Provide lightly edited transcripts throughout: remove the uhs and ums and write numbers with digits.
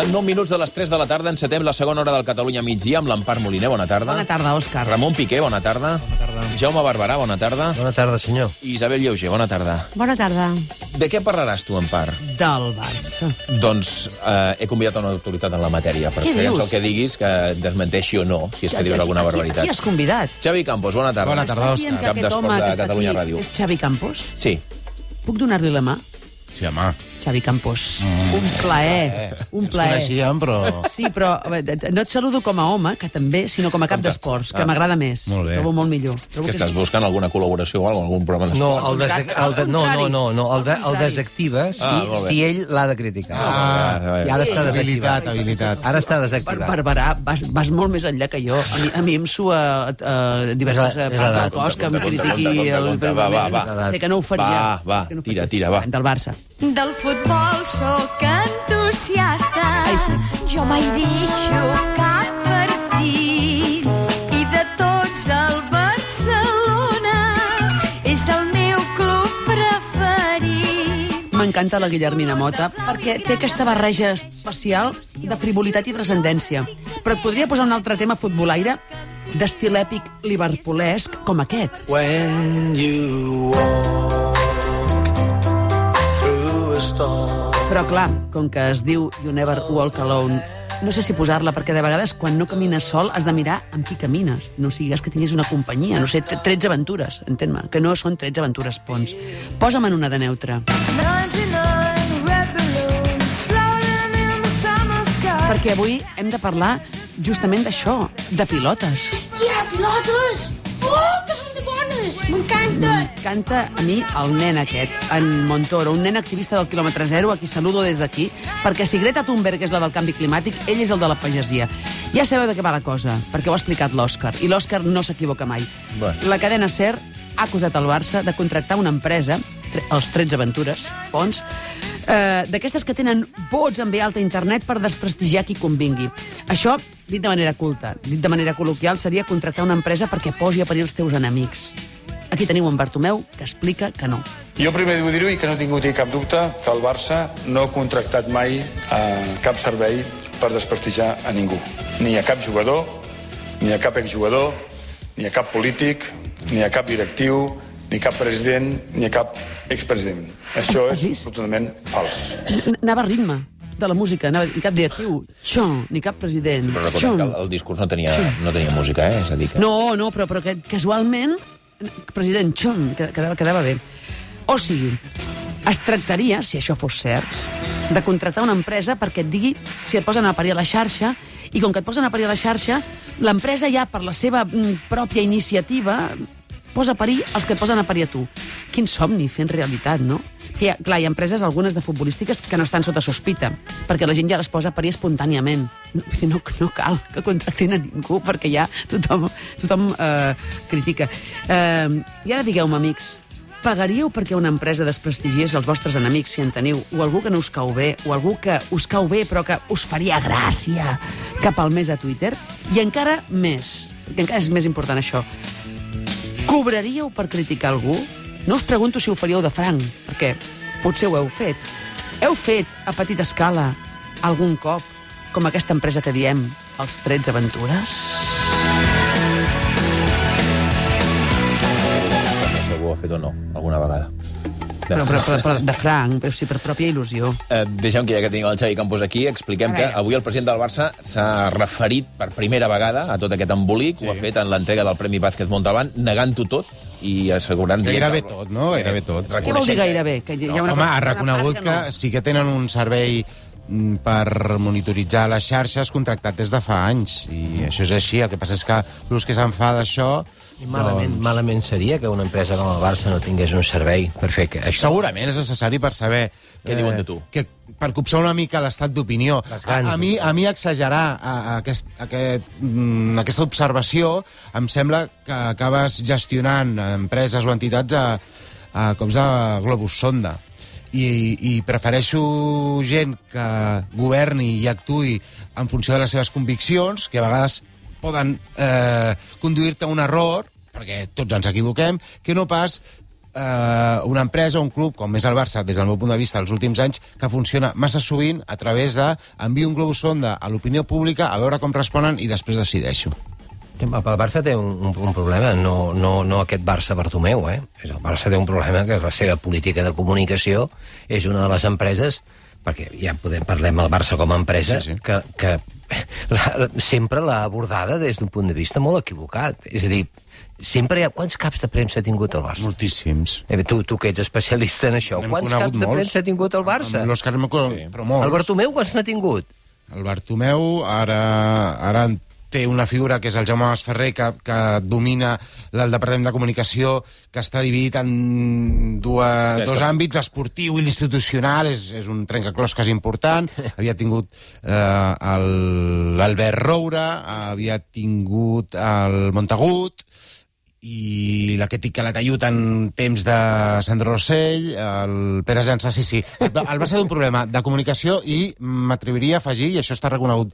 Passen 9 minuts de les 3 de la tarda, encetem la segona hora del Catalunya migdia amb l'Empar Moliner, bona tarda. Bona tarda, Òscar. Ramon Piqué, bona tarda. Bona tarda. Jaume Barberà, bona tarda. Bona tarda, senyor. I Isabel Lleuger, bona tarda. Bona tarda. De què parlaràs tu, Empar? Del Barça. Doncs he convidat una autoritat en la matèria, per Què segons dius? el que diguis, que desmenteixi o no, si és que dius alguna barbaritat. Qui has convidat? Xavi Campos, bona tarda. Bona tarda, Estàs dient que Cap aquest d'Esports home de que està Catalunya aquí Ràdio. és Xavi Campos? Sí. Puc donar-li la mà? Sí, home. Xavi Campos. Un plaer. Un Ens plaer. coneixíem, però... Sí, però no et saludo com a home, que també, sinó com a cap d'esports, que m'agrada més. Molt bé. Trobo molt millor. Trobo Que estàs buscant alguna col·laboració o algun programa d'esport? No, el desactiva molt bé. si ell l'ha de criticar. I ara està desactivat. Habilitat. Ara està desactivat. Barberà, vas molt més enllà que jo. A mi em sua diverses És parts l'edat. del cos que em Compte, critiqui el... va. Sé que no ho faria. Va, Que no ho tira, faria. va. Del Barça. Del futbol sóc entusiasta. Ai, sí. Jo mai deixo cap partit. I de tots el Barcelona és el meu club preferit. M'encanta la Guillermina Mota perquè té aquesta barreja especial de frivolitat i transcendència. Però et podria posar un altre tema futbolaire d'estil èpic liverpoolesc com aquest. When you walk through a storm. Però clar, com que es diu You Never Walk Alone, no sé si posar-la, perquè de vegades quan no camines sol has de mirar amb qui camines. No sigues que tinguis una companyia, no sé, 13 aventures, entén-me, que no són 13 aventures, Pons. Posa'm en una de neutra. 99 red balloons floating in the summer sky. Perquè avui hem de parlar justament d'això, de pilotes. Ja, pilotes! Oh, que són de bones! M'encanta! Canta a mi el nen aquest, en Montoro, un nen activista del quilòmetre zero, a qui saludo des d'aquí, perquè si Greta Thunberg és la del canvi climàtic, ell és el de la pagesia. Ja sabeu de què va la cosa, perquè ho ha explicat l'Òscar, i l'Òscar no s'equivoca mai. Bé. La cadena SER ha acusat el Barça de contractar una empresa, els 13 Aventures, Pons, d'aquestes que tenen vots en ve alta a internet per desprestigiar qui convingui. Això, dit de manera culta, dit de manera col·loquial, seria contractar una empresa perquè posi a parir els teus enemics. Aquí teniu en Bartomeu, que explica que no. Jo primer vull dir-ho i que no tinc cap dubte que el Barça no ha contractat mai cap servei per desprestigiar a ningú. Ni a cap jugador, ni a cap exjugador, ni a cap polític, ni a cap directiu, ni cap president, ni a cap expresident. Això Has és vist? totalment fals. Anava a ritme de la música, ni cap directiu, xon, ni cap president. Però recordem xon. que el discurs no tenia música, és a dir que... No, però que casualment, president, xon, quedava bé. O sigui, es tractaria, si això fos cert, de contractar una empresa perquè et digui si et posen a parir a la xarxa, i com que et posen a parir a la xarxa, l'empresa ja, per la seva pròpia iniciativa, posa a parir els que et posen a parir a tu. Quin somni fent realitat, no? Que clar, hi ha empreses, algunes de futbolístiques, que no estan sota sospita, perquè la gent ja les posa a parir espontàniament. No cal que contractin a ningú, perquè ja tothom critica. I ara digueu-me, amics, pagaríeu perquè una empresa desprestigiés els vostres enemics, si en teniu, o algú que no us cau bé, o algú que us cau bé però que us faria gràcia cap al mes a Twitter? I encara més, perquè encara és més important això, cobraríeu per criticar algú? No us pregunto si ho faríeu de franc, perquè potser ho heu fet. Heu fet, a petita escala, algun cop, com aquesta empresa que diem, els 13 Aventures? Segur ho ha fet o no, alguna vegada. Però de franc, però sí, per pròpia il·lusió. Deixem que ja que tenim el Xavi Campos aquí, expliquem A que veure. avui el president del Barça s'ha referit per primera vegada a tot aquest embolic, ho ha fet en l'entrega del Premi Vázquez Montalbán, negant-ho tot i assegurant... Gairebé tot, no? Gairebé tot. Què vol dir gairebé? Que hi ha una Home, cosa- ha una reconegut part que sí que tenen un servei per monitoritzar les xarxes contractat des de fa anys. I això és així. El que passa és que l'ús que se'n fa d'això... I malament seria que una empresa com el Barça no tingués un servei per fer això. Segurament és necessari per saber... Què diuen de tu? Per copsar una mica l'estat d'opinió. Les ganes. A mi exagerar aquesta observació em sembla que acabes gestionant empreses o entitats a cops de globus sonda. I prefereixo gent que governi i actuï en funció de les seves conviccions, que a vegades poden conduir-te a un error, perquè tots ens equivoquem, que no pas una empresa, un club, com és el Barça, des del meu punt de vista, els últims anys, que funciona massa sovint a través d'enviar un globus sonda a l'opinió pública, a veure com responen i després decideixo. El Barça té un problema, no aquest Barça-Bartomeu, El Barça té un problema que la seva política de comunicació és una de les empreses, perquè ja parlem del Barça com a empresa, sí. que sempre l'ha abordada des d'un punt de vista molt equivocat. És a dir, sempre hi ha... Quants caps de premsa ha tingut el Barça? Moltíssims. Tu que ets especialista en això, quants caps de premsa ha tingut el Barça? L'Òscar però molts. El Bartomeu quants n'ha tingut? El Bartomeu ara té una figura que és el Jaume Masferrer, que domina el Departament de Comunicació, que està dividit en dos àmbits, esportiu i l'institucional, és un trencaclosques important. Havia tingut l'Albert Roura, havia tingut el Montagut, i la que la tallut en temps de Sandro Rossell, el Pere Jansa, sí. El Barça té un problema de comunicació i m'atreviria a afegir, i això està reconegut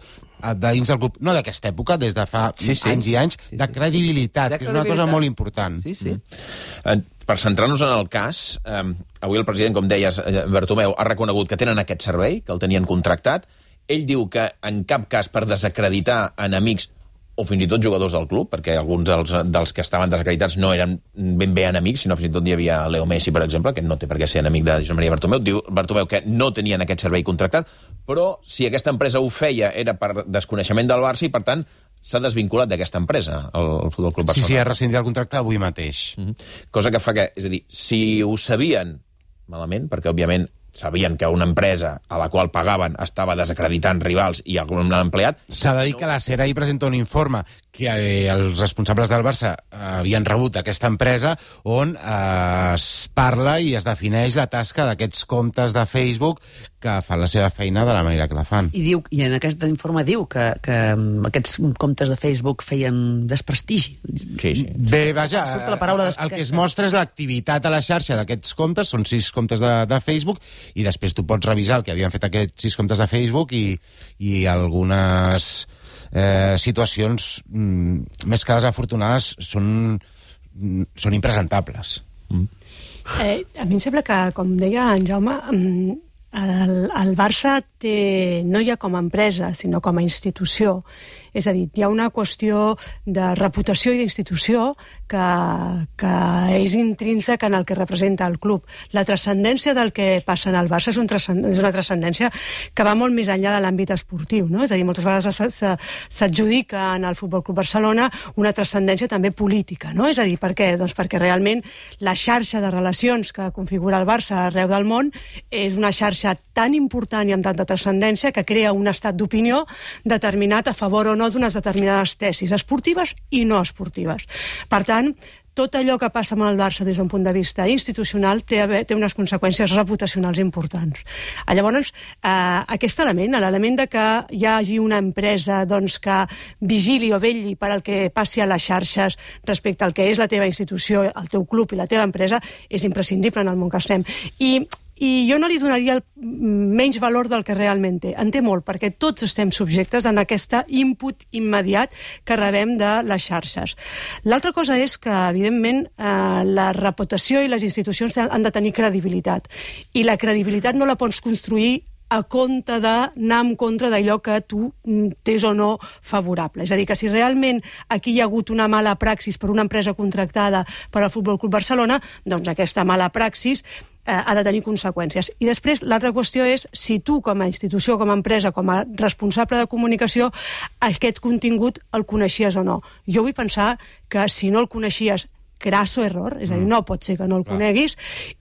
dins del club, no d'aquesta època, des de fa anys i anys, de credibilitat, que és una cosa molt important. Sí. Per centrar-nos en el cas, avui el president, com deies, Bartomeu, ha reconegut que tenen aquest servei, que el tenien contractat. Ell diu que en cap cas per desacreditar enemics o fins i tot jugadors del club, perquè alguns dels que estaven desacreditats no eren ben bé enemics, sinó fins i tot hi havia Leo Messi, per exemple, que no té per què ser enemic de Josep Maria Bartomeu. Diu Bartomeu que no tenien aquest servei contractat, però si aquesta empresa ho feia era per desconeixement del Barça i, per tant, s'ha desvinculat d'aquesta empresa, el Futbol Club Barcelona. Sí, ha rescindit el contracte avui mateix. Cosa que fa que, és a dir, si ho sabien malament, perquè, òbviament, sabien que una empresa a la qual pagaven estava desacreditant rivals i algun empleat... S'ha de dir que la SER ahir presenta un informe que els responsables del Barça havien rebut aquesta empresa on es parla i es defineix la tasca d'aquests comptes de Facebook que fan la seva feina de la manera que la fan. I en aquest informe diu que aquests comptes de Facebook feien desprestigi. Sí. Bé, vaja, el que es mostra és l'activitat a la xarxa d'aquests comptes, són 6 comptes de Facebook, i després tu pots revisar el que havien fet aquests 6 comptes de Facebook i algunes situacions més que desafortunades són impresentables. A mi em sembla que, com deia en Jaume, el Barça no hi ha com a empresa, sinó com a institució. És a dir, hi ha una qüestió de reputació i d'institució que és intrínseca en el que representa el club. La transcendència del que passa en el Barça és una transcendència que va molt més enllà de l'àmbit esportiu, no? És a dir, moltes vegades s'adjudica en el Futbol Club Barcelona una transcendència també política, no? És a dir, per què? Doncs perquè realment la xarxa de relacions que configura el Barça arreu del món és una xarxa tan important i amb tanta transcendència que crea un estat d'opinió determinat a favor o no d'unes determinades tesis esportives i no esportives. Per tant, tot allò que passa amb el Barça des d'un punt de vista institucional té unes conseqüències reputacionals importants. Llavors, aquest element, l'element de que hi hagi una empresa que vigili o vetlli per al que passi a les xarxes respecte al que és la teva institució, el teu club i la teva empresa, és imprescindible en el món que estem. I jo no li donaria el menys valor del que realment té. En té molt, perquè tots estem subjectes en aquest input immediat que rebem de les xarxes. L'altra cosa és que, evidentment, la reputació i les institucions han de tenir credibilitat. I la credibilitat no la pots construir a compte d'anar en contra d'allò que tu tens o no favorable. És a dir, que si realment aquí hi ha hagut una mala praxis per una empresa contractada per al Futbol Club Barcelona, doncs aquesta mala praxis ha de tenir conseqüències. I després, l'altra qüestió és si tu, com a institució, com a empresa, com a responsable de comunicació, aquest contingut el coneixies o no. Jo vull pensar que si no el coneixies, crasso error, és a dir, no pot ser que no el coneguis,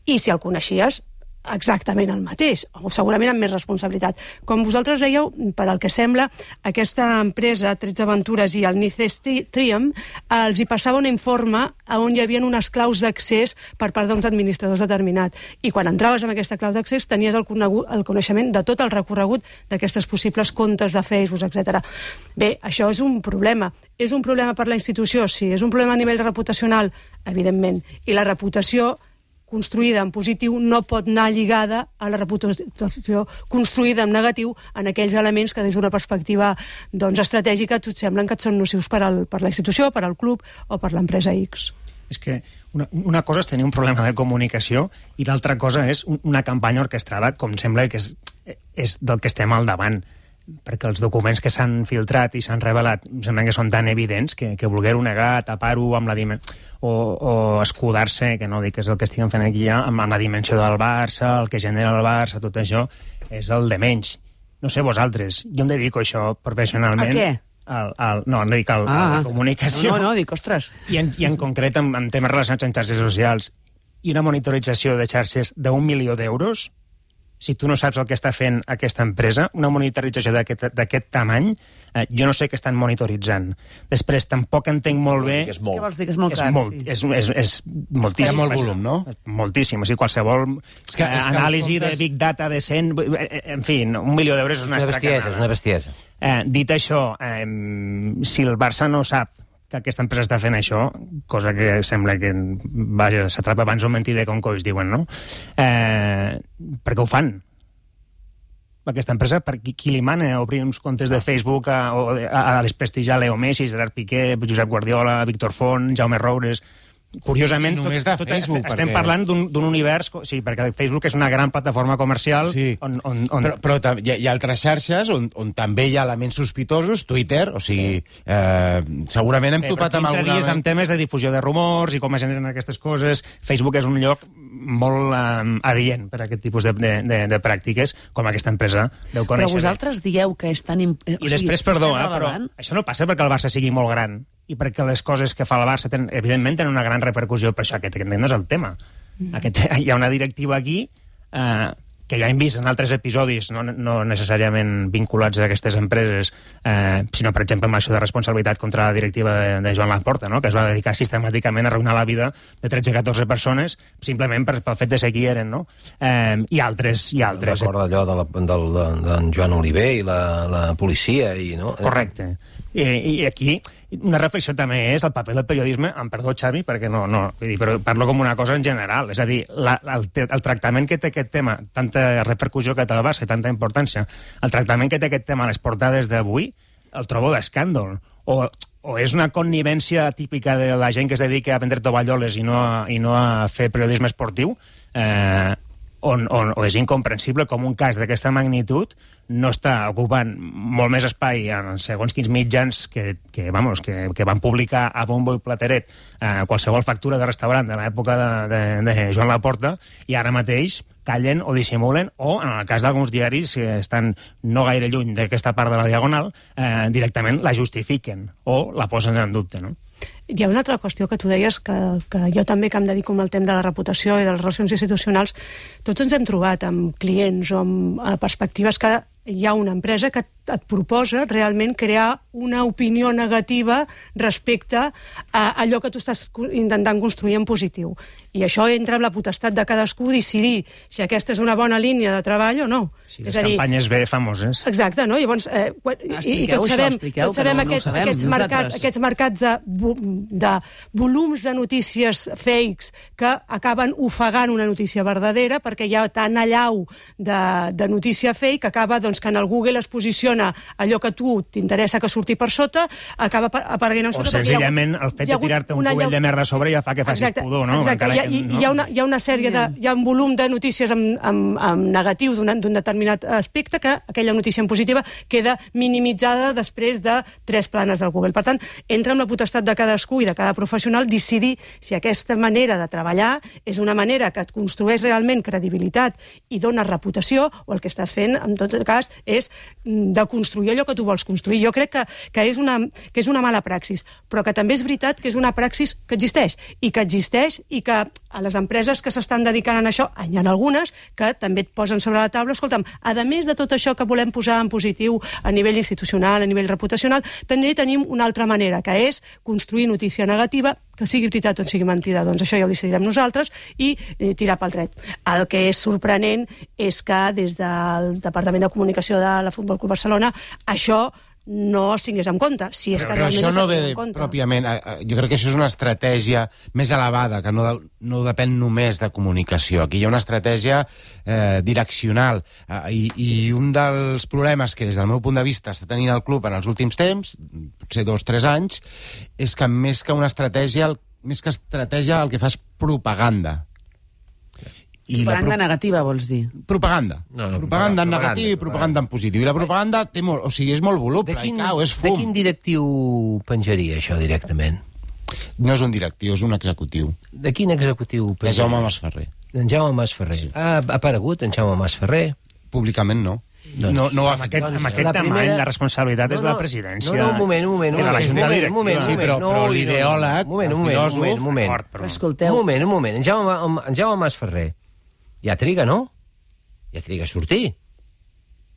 i si el coneixies, exactament el mateix, o segurament amb més responsabilitat. Com vosaltres dèieu, per al que sembla, aquesta empresa, 13 Aventures i el Nices Triam, els hi passava un informe on hi havia unes claus d'accés per part d'uns administradors determinats. I quan entraves amb aquesta clau d'accés tenies el coneixement de tot el recorregut d'aquestes possibles comptes de Facebook, etc. Bé, això és un problema. És un problema per la institució? Sí. És un problema a nivell reputacional? Evidentment. I la reputació construïda en positiu no pot anar lligada a la reputació construïda en negatiu en aquells elements que des d'una perspectiva estratègica et semblen que et són nocius per la institució, per al club o per l'empresa X. És que una cosa és tenir un problema de comunicació i l'altra cosa és una campanya orquestrada, com sembla que és del que estem al davant, perquè els documents que s'han filtrat i s'han revelat sembla que són tan evidents que voler-ho negar, tapar-ho amb la o escudar-se, que no dic que és el que estiguem fent aquí ja, amb la dimensió del Barça, el que genera el Barça, tot això, és el de menys. No sé vosaltres, jo em dedico a això professionalment. A què? No dic a la comunicació. No, dic, ostres. I en concret en temes relacionats amb xarxes socials. I una monitorització de xarxes d'1 milió d'euros, si tu no saps el que està fent aquesta empresa, una monitorització d'aquest tamany, jo no sé què estan monitoritzant. Després, tampoc entenc molt bé... És molt. Què vols dir, que és molt car? És moltíssim. Hi ha molt volum, no? Moltíssim. O sigui, qualsevol anàlisi de Big Data de 100... En fi, 1 milió d'euros és una estracanada. És una bestiesa. Dit això, si el Barça no sap que aquesta empresa està fent això, cosa que sembla que s'atrapa abans un mentider com coix, diuen, no? Per què ho fan? Aquesta empresa, per qui li mana a obrir uns comptes de Facebook a desprestigiar Leo Messi, Gerard Piqué, Josep Guardiola, Víctor Font, Jaume Roures... Curiosament, només de Facebook, estem parlant d'un univers... Sí, perquè Facebook és una gran plataforma comercial on... Però hi ha altres xarxes on també hi ha elements sospitosos, Twitter, o sigui, segurament hem topat amb alguna... Però amb temes de difusió de rumors i com es generen aquestes coses. Facebook és un lloc molt adient per a aquest tipus de pràctiques, com aquesta empresa deu conèixer. Però vosaltres dieu que és tan... I després, perdó, però això no passa perquè el Barça sigui molt gran i perquè les coses que fa el Barça evidentment tenen una gran repercussió, per això aquest no és el tema. Hi ha una directiva aquí que ja hem vist en altres episodis, no necessàriament vinculats a aquestes empreses, sinó, per exemple, amb això de responsabilitat contra la directiva de Joan Laporta, no? Que es va dedicar sistemàticament a arruïnar la vida de 13-14 persones simplement pel fet de ser qui eren, no? I altres. Recorda allò d'en Joan Oliver i la policia, no? Correcte. I aquí una reflexió també és el paper del periodisme, em perdó, Xavi, perquè no vull dir, però parlo com una cosa en general, és a dir, el tractament que té aquest tema, tanta repercussió que té el Barça i tanta importància, el tractament que té aquest tema a les portades d'avui, el trobo d'escàndol, o és una connivència típica de la gent que es dedica a vendre tovalloles i no a fer periodisme esportiu, o és incomprensible com un cas d'aquesta magnitud no està ocupant molt més espai en segons quins mitjans que van publicar a bombo i plateret qualsevol factura de restaurant de l'època de Joan Laporta, i ara mateix callen o dissimulen, o en el cas d'alguns diaris que estan no gaire lluny d'aquesta part de la Diagonal, directament la justifiquen o la posen en dubte, no? Hi ha una altra qüestió que tu deies, que jo també, que em dedico al tema de la reputació i de les relacions institucionals, tots ens hem trobat amb clients o amb perspectives que hi ha una empresa que et proposa realment crear una opinió negativa respecte a allò que tu estàs intentant construir en positiu. I això entra en la potestat de cadascú decidir si aquesta és una bona línia de treball o no. Sí, les campanyes bé famoses. Exacte, no? Llavors, i tots sabem aquests mercats de volums de notícies fakes que acaben ofegant una notícia verdadera, perquè hi ha tant allau de notícia fake que acaba que en el Google es posiciona allò que tu t'interessa que surti per sota, acaba apareguent en sota. O senzillament el fet de tirar-te un cubell de merda a sobre ja fa que facis pudor, no? Exacte, hi ha una sèrie hi ha un volum de notícies amb negatiu d'un determinat aspecte que aquella notícia en positiva queda minimitzada després de 3 planes del Google. Per tant, entra en la potestat de cadascú i de cada professional decidir si aquesta manera de treballar és una manera que et construeix realment credibilitat i dona reputació, o el que estàs fent, en tot cas, és de construir allò que tu vols construir. Jo crec que és una mala praxis, però que també és veritat que és una praxis que existeix i que a les empreses que s'estan dedicant a això, hi ha algunes que també et posen sobre la taula, escolta'm, a més de tot això que volem posar en positiu a nivell institucional, a nivell reputacional, també tenim una altra manera, que és construir notícia negativa, que sigui veritat o sigui mentida, doncs això ja ho decidirem nosaltres, i tirar pel dret. El que és sorprenent és que des del Departament de Comunicació de la Futbol Club Barcelona això no es tingués en compte. Si és que però això no ve pròpiament... Jo crec que això és una estratègia més elevada, que no depèn només de comunicació. Aquí hi ha una estratègia direccional. I un dels problemes que, des del meu punt de vista, està tenint el club en els últims temps, potser 2 o 3 anys, és que més que una estratègia més que estratègia, el que fa és propaganda. I Propaganda negativa, vols dir? Propaganda. Propaganda en negatiu i propaganda en positiu. I la propaganda té molt, o sigui, és molt voluble, i cau, és fum. De quin directiu penjaria això directament? No és un directiu, és un executiu. De quin executiu De penjaria? Jaume Masferrer. En Jaume Masferrer. Sí. Ha aparegut en Jaume Masferrer? Públicament no. Doncs, no ho ha Amb fet. aquest tamany, la responsabilitat és de la presidència. No, un moment. I de la Junta Directiva. Sí, però l'ideòleg, el filòsof... Un moment. Escolteu. Un moment. En Jaume Masferrer ja triga, no? Ja triga a sortir.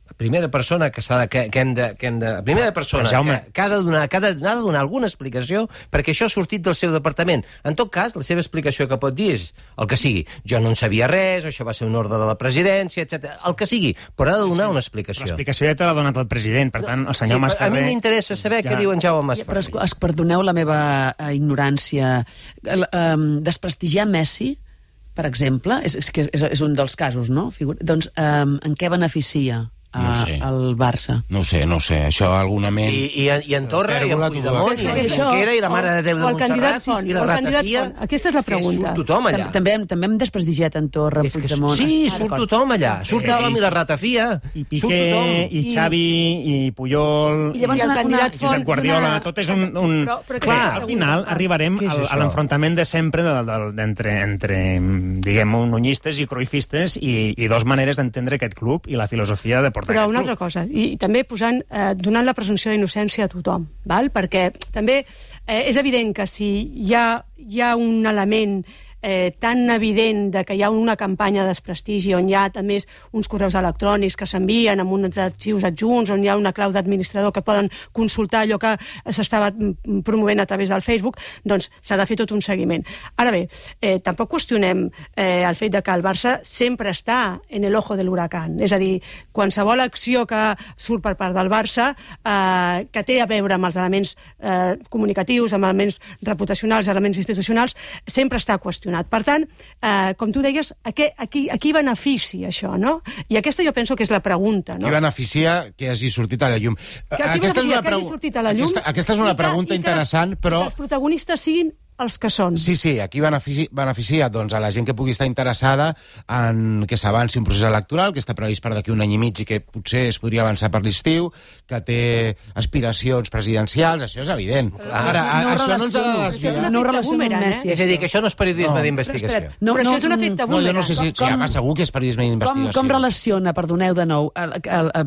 La primera persona que hem de... La primera persona que ha de donar alguna explicació perquè això ha sortit del seu departament. En tot cas, la seva explicació que pot dir és el que sigui. Jo no en sabia res, això va ser un ordre de la presidència, etc. El que sigui, però ha de donar una explicació. L'explicació ja te l'ha donat el president, per tant, el senyor Masferrer... A mi m'interessa saber què diu en Jaume Masferrer. Però perdoneu la meva ignorància. Desprestigiar Messi, per exemple, és un dels casos, no? Doncs en què beneficia el Barça? No ho sé, això alguna-ment... I en Torra, i en Puigdemont, i en Junquera, i la Mare de Déu de Montserrat, i la Ratafia... Aquesta és la pregunta. Surt tothom allà. També hem desprestigiat en Torra, Puigdemont... Sí, surt tothom allà. Surt tothom i la Ratafia. I Piqué, i Xavi, i Puyol, i el candidat Josep Guardiola... Tot és un... Clar, al final arribarem a l'enfrontament de sempre entre diguem, unionistes i cruifistes i dos maneres d'entendre aquest club i la filosofia de portar però una altra cosa, i també donant la presumpció d'innocència a tothom, val? Perquè també és evident que si hi ha un element tan evident de que hi ha una campanya de desprestigi on hi ha també uns correus electrònics que s'envien amb uns arxius adjunts, on hi ha una clau d'administrador que poden consultar allò que s'estava promovent a través del Facebook, doncs s'ha de fer tot un seguiment. Ara bé, tampoc qüestionem el fet de que el Barça sempre està en el ojo de l'huracán, és a dir, qualsevol acció que surt per part del Barça que té a veure amb els elements comunicatius, amb elements reputacionals, elements institucionals, sempre està qüestionat. Per tant, com tu deies, a qui beneficia això, no? I aquesta jo penso que és la pregunta, no? Qui beneficia que hagi sortit a la llum? Aquesta és una pregunta interessant, però... que els protagonistes siguin els que són. Sí, aquí beneficia doncs, a la gent que pugui estar interessada en que s'avanci un procés electoral, que està previst per d'aquí un any i mig i que potser es podria avançar per l'estiu, que té aspiracions presidencials, això és evident. Ara, això no ens ha de desviar. No ho relaciono amb Messi. És a dir, que això no és periodisme d'investigació. Però això és un efecte boomerang. Jo no sé si segur que és periodisme d'investigació. Com relaciona, perdoneu de nou,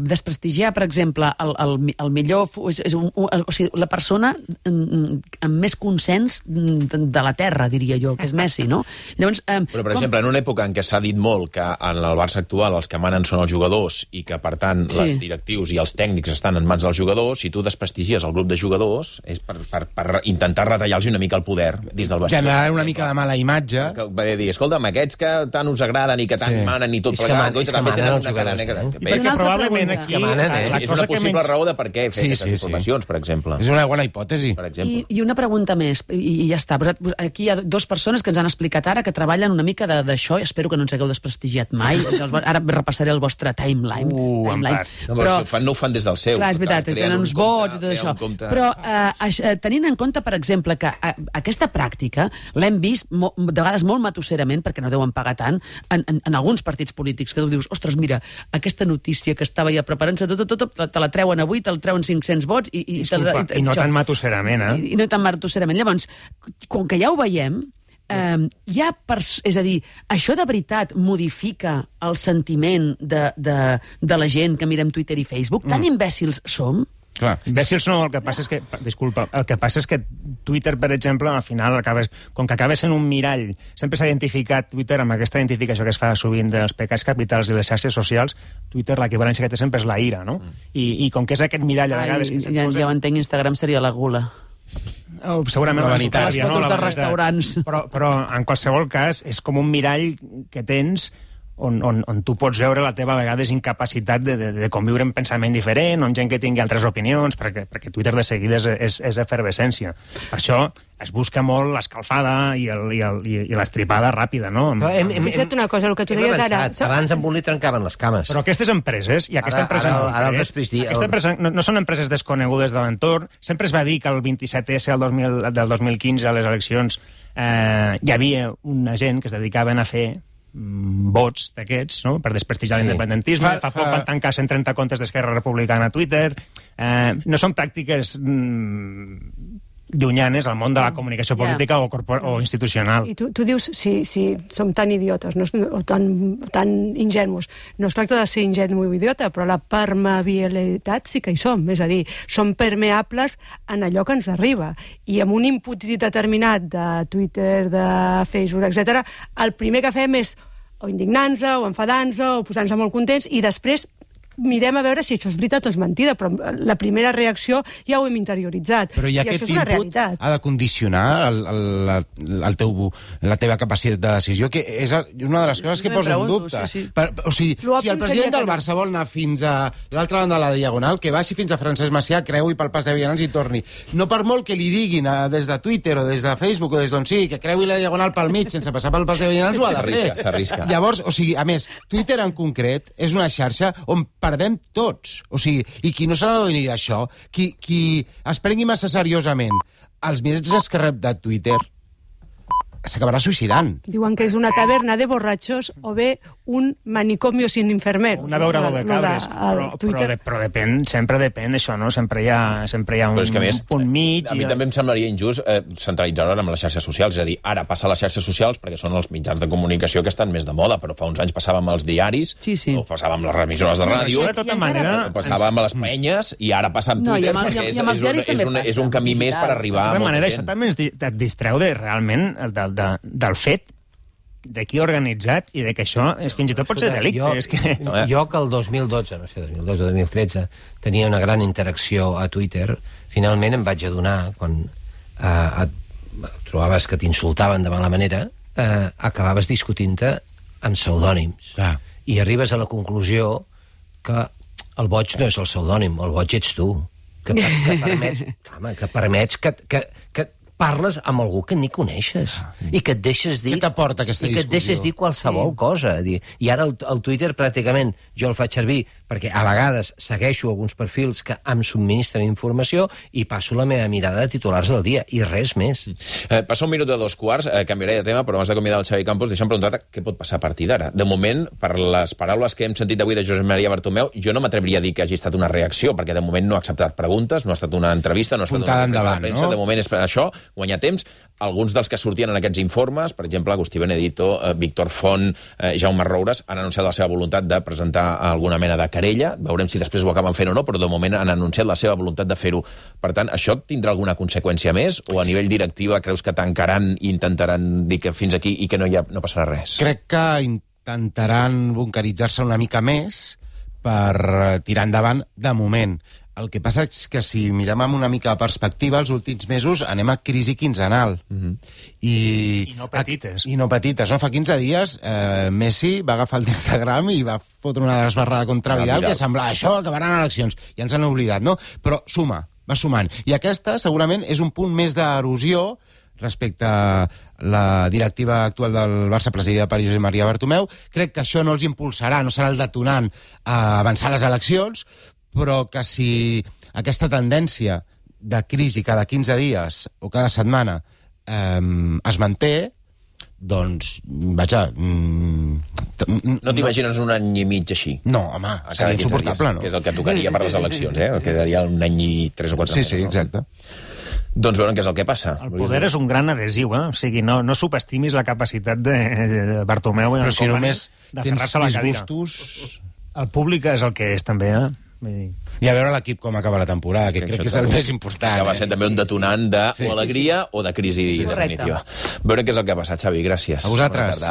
desprestigiar, per exemple, el millor... O sigui, la persona amb més consens de la terra, diria jo, que és Messi, no? Llavors, però, per exemple, en una època en què s'ha dit molt que en el Barça actual els que manen són els jugadors i que, per tant, els directius i els tècnics estan en mans dels jugadors, si tu desprestigies el grup de jugadors és per intentar retallar-los una mica el poder dins del vestidor. Generar una mica de mala imatge. Va dir, escolta'm, aquests que tant us agraden i que tant manen i tot plegat, és que també tenen manen una cara negra. I perquè probablement aquí... És una possible raó de per què fer aquestes informacions, per exemple. És una bona hipòtesi. I una pregunta més, i ja està. Aquí hi ha dues persones que ens han explicat ara que treballen una mica d'això, i espero que no ens hagueu desprestigiat mai. Ara repassaré el vostre timeline. Però no ho fan des del seu. Clar, és veritat, tenen uns vots i tot això. Però tenint en compte, per exemple, que aquesta pràctica l'hem vist de vegades molt matusserament, perquè no deuen pagar tant, en alguns partits polítics, que tu dius, ostres, mira, aquesta notícia que estava ja preparant-se, te la treuen avui, te la treuen 500 vots... I no tan matusserament, I no tan matusserament. Llavors, com que ja ho veiem, és a dir, això de veritat modifica el sentiment de la gent que mirem Twitter i Facebook? Tan imbècils som? Clar. Imbècils no, el que passa és que... Disculpa, el que passa és que Twitter, per exemple, al final, com que acaba sent un mirall, sempre s'ha identificat Twitter amb aquesta identificació que es fa sovint dels pecats capitals i les xarxes socials, Twitter l'equivalència que té sempre és la ira, no? I com que és aquest mirall a vegades... Ja ho entenc, Instagram seria la gula. Segurament la vanitat. Les fotos de restaurants. Però en qualsevol cas és com un mirall que tens on tu pots veure la teva a vegades incapacitat de conviure en pensament diferent, on gent que tingui altres opinions, perquè Twitter de seguida és efervescència. Per això es busca molt l'escalfada i l'estripada ràpida, no? Fixa't una cosa, el que tu deies ara... Abans amb un li trencaven les cames. Però aquestes empreses, i aquesta empresa... Ara el després dir... Aquesta empresa no són empreses desconegudes de l'entorn. Sempre es va dir que el 27S del 2015, a les eleccions, hi havia una gent que es dedicaven a fer vots d'aquests, no?, per desprestigiar l'independentisme. Fa poc van tancar 130 comptes d'Esquerra Republicana a Twitter. No són pràctiques llunyanes al món de la comunicació política o institucional. I tu dius, si som tan idiotes o tan ingenus, no es tracta de ser ingenu o idiota, però la permeabilitat sí que hi som, és a dir, som permeables en allò que ens arriba, i amb un input determinat de Twitter, de Facebook, etc., el primer que fem és o indignant-nos, o enfadant-nos, o posant-nos molt contents, i després mirem a veure si això és veritat o és mentida, però la primera reacció ja ho hem interioritzat. Però i aquest input ha de condicionar la teva capacitat de decisió, que és una de les coses que posa en dubte. Sí. O sigui, si el president del Barça vol anar fins a l'altra banda de la Diagonal, que baixi fins a Francesc Macià, creui pel pas de vianants i torni. No per molt que li diguin des de Twitter o des de Facebook o des d'on sigui, que creui la Diagonal pel mig sense passar pel pas de vianants, ho ha de fer. S'arrisca. Llavors, o sigui, a més, Twitter en concret és una xarxa on perdem tots. O sigui, i qui no se n'adoni d'això, qui es prengui massa seriosament els missatges que rep de Twitter, s'acabarà suïcidant. Diuen que és una taverna de borratxos o bé un manicomio sin enfermero. Un abeurador de cabres. Però depèn, sempre depèn això, no? Sempre hi ha un punt mig. A mi també em semblaria injust centralitzar-ho amb les xarxes socials. És a dir, ara passa a les xarxes socials perquè són els mitjans de comunicació que estan més de moda, però fa uns anys passava amb els diaris, o passava amb les remissores de ràdio, de tota manera, passava amb les penyes, i ara passa amb Twitter, perquè és un camí més per arribar a molta gent. Això també et distreu realment del fet de qui ha organitzat i de que això fins i tot pot ser delicte. Jo que el 2012, no sé, 2012 o 2013, tenia una gran interacció a Twitter, finalment em vaig adonar, quan trobaves que t'insultaven de mala manera, acabaves discutint-te amb pseudònims. I arribes a la conclusió que el boig no és el pseudònim, el boig ets tu, que permets que parles amb algú que ni coneixes i que et deixes dir... Què t'aporta aquesta discussió? I que et deixes dir qualsevol cosa. I ara el Twitter pràcticament jo el faig servir perquè a vegades segueixo alguns perfils que em subministren informació i passo la meva mirada de titulars del dia, i res més. Passa un minut de 2:15, canviaré de tema, però abans d'acomiadar el Xavi Campos, deixa'm preguntar-te què pot passar a partir d'ara. De moment, per les paraules que hem sentit avui de Josep Maria Bartomeu, jo no m'atreviria a dir que hagi estat una reacció, perquè de moment no ha acceptat preguntes, no ha estat una entrevista, no ha estat una conferència de premsa, de moment és això, guanyar temps. Alguns dels que sortien en aquests informes, per exemple, Agustí Benedito, Víctor Font, Jaume Roures, han anunciat la seva voluntat de presentar alguna mena de querella. Veurem si després ho acaben fent o no, però de moment han anunciat la seva voluntat de fer-ho. Per tant, això tindrà alguna conseqüència més? O a nivell directiva creus que tancaran i intentaran dir que fins aquí i que no passarà res? Crec que intentaran bunkeritzar-se una mica més per tirar endavant de moment. El que passa és que si mirem amb una mica de perspectiva, els últims mesos anem a crisi quinzenal. I no petites. I no petites. No? Fa 15 dies Messi va agafar l'Instagram i va fotre una desbarrada contra Vidal que semblava això, acabaran eleccions. Ja ens han oblidat, no? Però suma, va sumant. I aquesta segurament és un punt més d'erosió respecte a la directiva actual del Barça presidida per Josep Maria Bartomeu. Crec que això no els impulsarà, no serà el detonant a avançar les eleccions, però que si aquesta tendència de crisi cada 15 dies o cada setmana es manté, doncs, vaja... No t'imagines un any i mig així? No, home, seria insuportable, no? Que és el que tocaria per les eleccions, eh? Quedaria un any i 3 o 4 mesos. Sí, exacte. Doncs veurem què és el que passa. El poder és un gran adhesiu, eh? O sigui, no subestimis la capacitat de Bartomeu però si només d'aferrar-se a la cadira. Disgustos... El públic és el que és, també, eh? I a veure l'equip com acaba la temporada, que crec que és el més important. Que va ser també un detonant de o alegria o de crisi definitiva. Veure què és el que ha passat, Xavi, gràcies. A vosaltres.